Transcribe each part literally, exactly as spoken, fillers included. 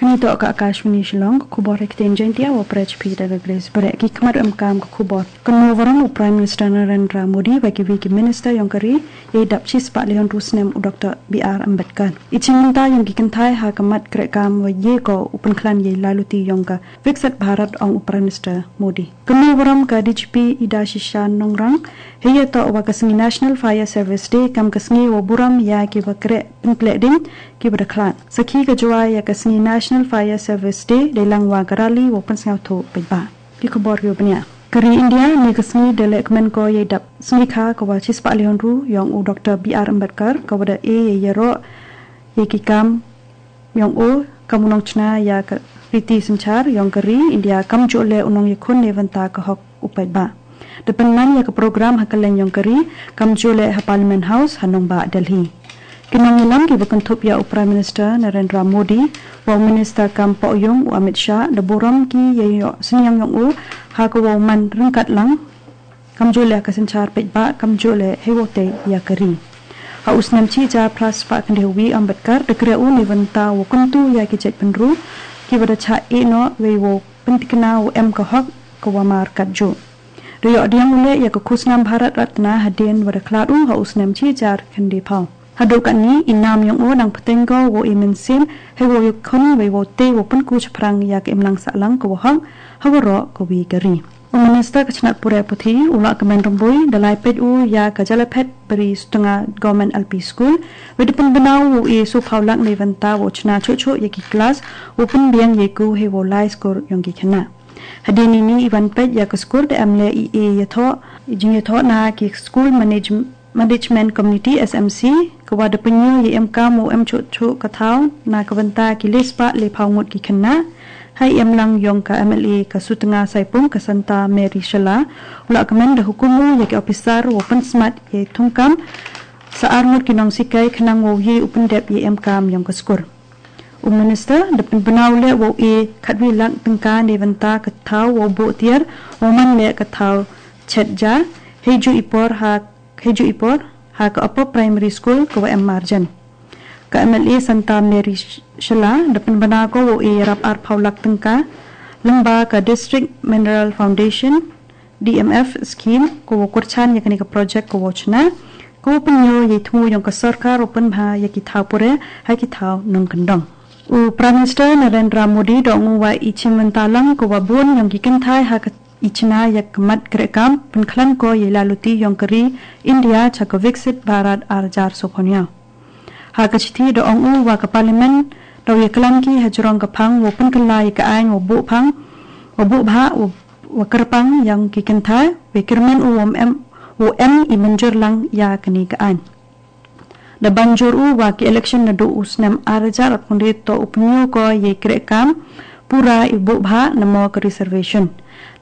Kane toh ka Akashvani Shillong, ka khubor ha ktien Jaiñtia, wa pyrshah phi da ka Grace Bareh. Ki khmat em kam ka khubor. Kynmaw burom u Prime Minister Narendra Modi bad kiwei ki minister yong ka ri, ïa i dap shispah laiphew hynriew snem u Doctor B R Ambedkar. I jingmynta yong ki kynthai ha ka mat kreh kam wa ïa ko u pynkhlan ïa i laluti yong ka Viksit Bharat, ong u Prime Minister Modi. Kynmaw burom ka D G P Ida Shisha Nongrang, ha ïa toh wa ka sngi National Fire Service Day, kam ka sngi wa burom ïa ki wa kreh pynpleh ding ki wa da khlad. Sakhi ka jwai ïa ka sngi National Fire Service Day, dei lang wa ka rally wa pynsngewthuh paidbah. Ki khubor ïa u bniah. Ka ri India, ne ka sngi da leh kmen ko ïa i dap sngi kha ka wa shispah laiphew hynriew yong u Doctor B R Ambedkar, ka wa da e ïa ïaroh ïa ki kam yong u, kam u nongchna ïa ka riti synshar yong ka ri India, kam juh leh u nongïakhun ne bynta ka hok u paidbah. Da pynman ïa ka program ha ka leng yong ka ri, kam juh leh ha Parliament House ha nongbah Delhi. Ki nongïalam ki wa kynthup ïa u Prime Minister Narendra Modi, wa u Minister kam poh ïung u Amit Shah, da burom ki ïa i ïoh synñiang yong u, ha ka wa u man ryngkat lang, kam juh leh ka synshar paidbah, kam juh leh ha i wa u tei ïa ka ri. Ha u snem shi hajar phra spah khyndai wi Ambedkar, da kreh u ne bynta wa kyntu ïa ki jait bynriew, ki wa da chah ïeh noh, wei wa pyntikna u em ka hok ka wa mar kat juh. Da ïoh diang u leh ïa ka khusnam Bharat Ratna hadien wa da khlad u ha u snem shi hajar khyndai phew. Haduh katni, i nam yong u nang pteng ko wa i mynsiem, ha i wa u ïakhun, wei wa u tei wa pynku shaphrang ïa ka imlang sahlang ka wa hok, ha waroh ka wi ka ri. U Minister ka chnat pule puthi, u Lahkmen Rymbui, da lai peit u ïa ka jala phet bri Sutnga Government L P School, wei da pynbna u wa u e sawphew lak ne bynta wa u chna chuh chuh ïa ki klas, wa u pynbiang ïa i ku ha i wa u lai skur yong ki khynnah. Hadien ini i wan peit ïa ka skur da em leh i e ïathoh, i jingïathoh na ki School Manage-, Management Committee, S M C, ka wa da pynïoh ïa i em kam wa u em chuh chuh ka thaw, na ka bynta ki lespah laiphew ngut ki khynnah, ha i em lang yong ka M L A ka Sutnga Saipung ka Santa Mary Shylla, u Lahkmen da hukum u ïa ki officer wa u pynsmat ïa i thungkam, sa ar ngut ki nongsikai khnang wa u ïa u pyndep ïa i em kam yong ka skur. U Minister, da pynbna u leh wa u e khatwi lak tyngka ne bynta ka thaw wa u buh tiar, wa u man leh ka thaw chet ja, ha i juh i por ha, ha i juh i por, ha ka Upper Primary School ka wa em marjan. Ka M L A Santa Mary Sh-, Shylla, da pynbna ko wa u e ïarap arphew lak tyngka, lyngba ka District Mineral Foundation, D M F scheme, ka wa u kyrchan ïa kane ka project ka wa u chna, ka wa u pynïoh ïa i thmu yong ka sorkar wa u pynbha ïa ki thaw pule, ha ki thaw nongkyndong. U Prime Minister Narendra Modi da ong u wa i jingmynta lang ka wa bun yong ki kynthai ha ka i chna ïa ka mat kreh kam, pynkhlan ko ïa i laluti yong ka ri India cha ka Viksit Bharat ar hajar sawphew hynñiew. Ha ka shithi da ong u wa ka Parliament, da u ïaklam ki ha jrong ka phang, wa u pynkylla ïa ka aiñ, wa u buh phang, wa u buh bhah, wa, wa u kyrpang yong ki kynthai, wei kyrmen u wa em, wa em i mynjur lang ïa kane ka aiñ. Da ban jur u wa ki election naduh u snem ar hajar arphew hynriew toh u pynïoh ko ïa i kreh kam, pura i buh bhah namo ka reservation.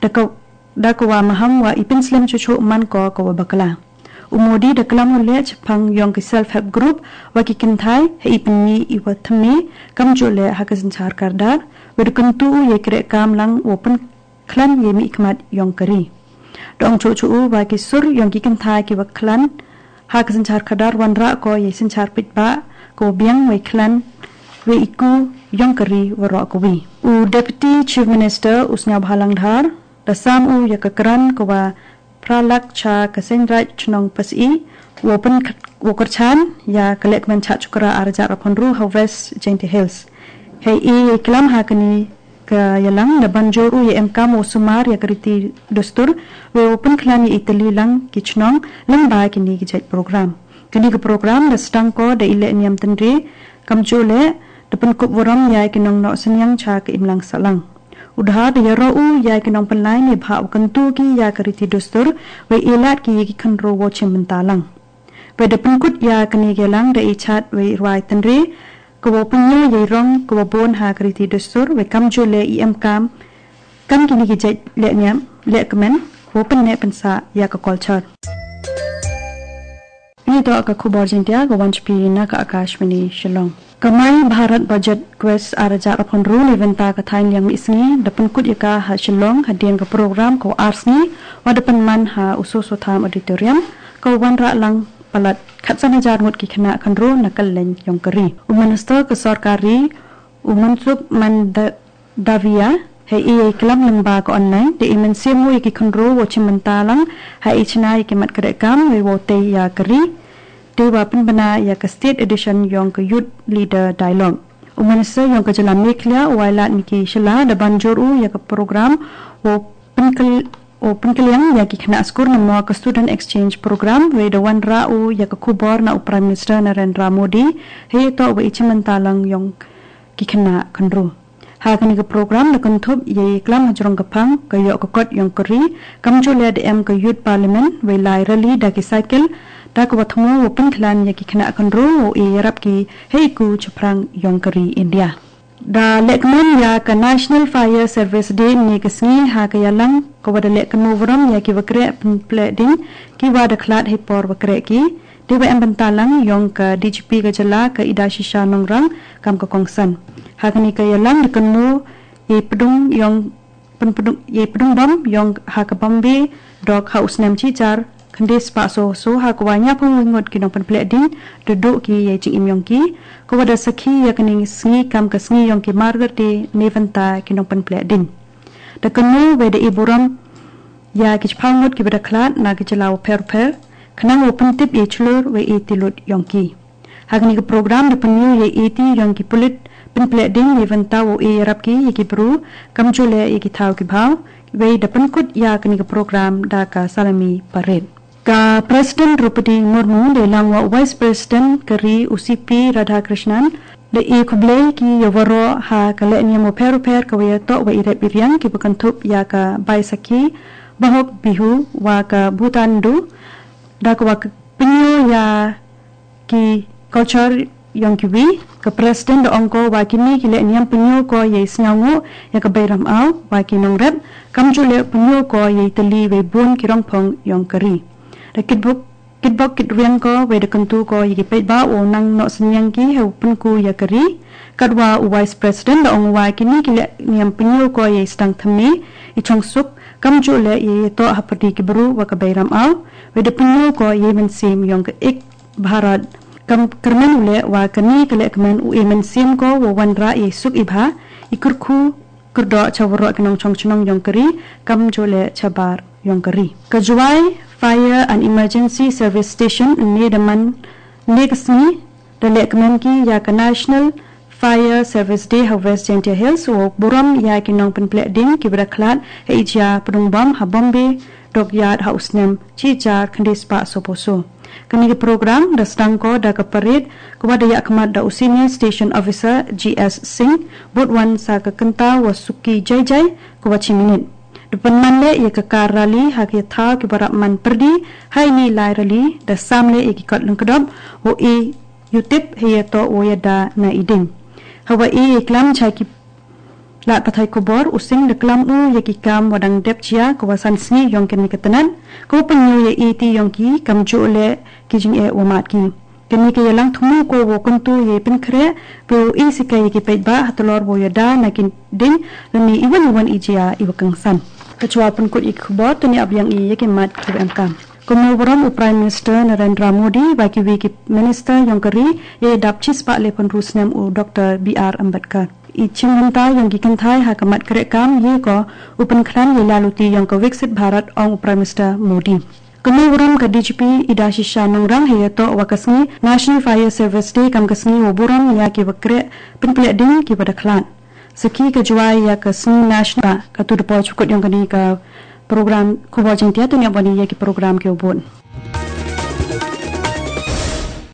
Da ka, da ka wa maham wa i pynslem chuh chuh man ko ka wa bakla. U Modi da klam u leh chaphang yong ki self help group wa ki kynthai ha i pynmih i wa thymmai kam juh leh ha ka synshar kardar, wei da kyntu u ïa i kreh kam lang wa pynkhlan ïa i mihkhmat yong ka ri. Da ong chuh chuh u wa ki sur yong ki kynthai ki wa khlan ha ka synshar kardar wanrah ko ïa i synshar paidbah ka wa biang wei khlan wei i ku yong ka ri waroh ka wi. U Deputy Chief Minister u Sniawbhalang Dhar da sam u ïa ka grant ka wa phra lak cha ka Seiñ Raij Chnong Pasih, wa pyn, wa kyrchan ïa ka lehkmen Chah Chukra ar hajar arphew hynriew ha West Jaintia Hills. Hei i klam ha kane ka ïalang da ban jur u ïa i em kam wa sumar ïa ka riti dustur, wei wa pynkhlan ïa i tylli lang ki chnong lyngba kine ki jait program. Kane ka program da sdang ko da i lehniam tynrai, kam juh leh, da pynkup burom ïa ki nongnoh synñiang cha ka imlang sahlang. U Dhar da ïaroh u ïa ki nongpynlait ne bha wa kyntu ki ïa ka riti dustur, wei ïalad ki ïa ki khynraw wa chim bynta lang. Wei da pynkut ïa kane ka ïalang da i chat wei rwai tynrai, ka wa pynïoh ïa i rong ka wa bun ha ka riti dustur, wei kam juh leh i em kam, kam kine ki jait lehniam, lehkmen, ka wa pynneh pynsah ïa ka culture. Kine toh ka khubor Jaiñtia ka wan sha phi na ka Akashvani Shillong. Ka My Bharat Budget Quest ar hajar arphew hynriew na ka bynta ka thaiñ liang mihsngi da pynkut ïa ka ha Shillong hadien ka program ka ar sngi, wat da pynman ha u Soso Tham Auditorium, ka wanrah lang palat khatsan hajar ngut ki khynnah khynroo na kylleng yong ka ri. U Minister ka sorkar ri, u Mansukh Mandaviya, ha i klam lyngba ka online, da i mynsiem u ïa ki khynroo wow chimbynta lang ha i chna ïa ki mat kreh kam wei wow tei ïa ka ri. Dei wa pynbna ïa ka State Edition yong ka Youth Leader Dialogue. U Minister yong ka jylla Meghalaya, u Wailadmiki Shylla, da ban jur u ïa ka program wow pynkyl wow pynkylliang ïa ki khynnah skul namar ka Student Exchange Program, wei da wanrah u ïa ka khubor na u Prime Minister Narendra Modi, hei ïa toh wa i chimbynta lang yong ki khynnah khynroo. Ha kane ka program da kynthup ïa i klam hajrong ka phang, ka ïoh ka kot yong ka ri, kamjooh leh da em ka Youth Parliament, wei lai rally da ki cycle, da ka wa thmu wow pynkhlan ïa ki khynnah khynroo wow ïarap ki hei ku chaphrang yong ka ri India. Da lehkmen ïa ka National Fire Service Day ne ka sngi ha ka ïalang ka wa da leh kynmaw burom ïa ki wa kreh pynpleh ding, ki wa da khlad hei por wa kreh ki. Dei wa em bynta lang yong ka D G P ka jylla ka Idashisha Nongrang kam ka kongsan. Ha kane ka ïalang da kynmaw ïa i pdung yong pynpdung ïa i pdung bom yong ha ka Bombay dok ha u snem shi hajar khyndai spah soo soo ha ka wa ñiaw phew ngut ki nongpynpleh ding da duh ki ïa i jingim yong ki, ka wa da sakhi ïa kane sngi kam ka sngi yong ki Martyrs' Day na ka bynta ki nongpynpleh ding. Da kynmaw wei da i burom ïa ki shiphew ngut ki wa da khlad na ki jylla wa pher pher, khnang wow pyntip ïa i chlur wei i tilut yong ki. Ha kane ka program da pynïoh ïa i ti yong ki pulit pynpleh ding na ka bynta wow ïarap ki ïa ki bru, kamjooh leh ïa ki thaw ki bhaw, wei da pynkut ïa kane ka program da ka salami parade. Ka President Droupadi Murmu da ïalang wa u Vice President ka ri u C P Radhakrishnan, da i khublei ki ïa waroh ha ka lehniam wa pher pher ka wa ïa toh wa i rep i riang ki wa kynthup ïa ka Baisakhi, Bohag Bihu wa ka Puthandu, da ka wa pynïoh ïa ki culture yong ki wi. Ka President da ong ko wa kini ki lehniam pynïoh ko ïa i sñiawngooh ïa ka Beiram Aw wa ki nongrep, kamjooh leh pynïoh ko ïa i tylli wei bun ki rongphong yong ka ri. Da kitbok kitbok kitrwiang ko wei da kyntu ko ïa ki paidbah wow nang noh synñiang ki hei wow pynku ïa ka ri. Katwa u Vice President da ong wa kini ki lehniam pynïoh ko ïa i sdang thymme, i chongsuk, kamjooh leh ïa i toh hapyrdi ki bru wa ka Beiram Aw, wei da pynïoh ko ïa i mynsiem yong ka Ek Bharat. Kam kyrmen u leh wa kane ka lehkmen u i mynsiem ko wow wanrah ïa i suk i bha, i kyrkhu kyrdoh cha waroh ki nongchong chnong yong ka ri, kamjooh leh cha bar yong ka ri. Ka Jowai Fire and Emergency Service Station ne da man ne ka sngi da lehkmen ki ïa ka National Fire Service Day ha West Jaintia Hills wow burom ïa ki nongpynpleh ding ki wa da khlad ha i jia pdung bom ha Bombay Dockyard ha u snem shi hajar khyndai spah soo phew soo. Kane ka program da sdang ko da ka parade ka wa da ïa khmat da u Senior Station Officer G S Singh, bud wan sa ka kynta wa Suki Jaijai ka wa shi minit. Da pynman leh ïa ka car rally ha ki thaw ki wa rap man pyrdi, ha ini i lai rally da sam leh ïa ki kot lyngkdop wow i ïa u tip hei ïa toh wow ïada na i ding. Ha wa i ïa i klam cha ki lad pathai khubor, u Singh da klam u ïa ki kam wa dang dep jia ka wa san sngi yong kane ka tnat, ka wa pynïoh ïa i ti yong ki kamjooh leh ki jingeh wa mad ki. Kane ka ïalang thmu ko wow kyntu ïa i pynkhreh, wow i sikai ïa ki paidbah ha tlor wow ïada na ki ding, lane i wan i wan i jia i wa kongsan. Ka chwa pynkut ïa ki khubor, tuni ap ïa i ïa ki mat ki wa em kam. Kynmaw burom u Prime Minister Narendra Modi wa ki wi ki Minister yong ka ri ïa i dap chispah laiphew hynriew snem u Doctor B R Ambedkar. I chimbynta yong ki kynthai ha ka mat kreh kam ïa ko u pynkhlan ïa i laluti yong ka Viksit Bharat, ong u Prime Minister Modi. Kynmaw burom ka D G P Idashisha Nongrang hei ïa toh wa ka sngi National Fire Service Day kam ka sngi wow burom ïa ki wa kreh pynpleh ding ki wa da khlad. Sakhi ka Jowai ïa ka sngi National, ka tu da poi chukut yong kane ka program khubor Jaiñtia, tuni ap wan i ïa ki program ki wa bud.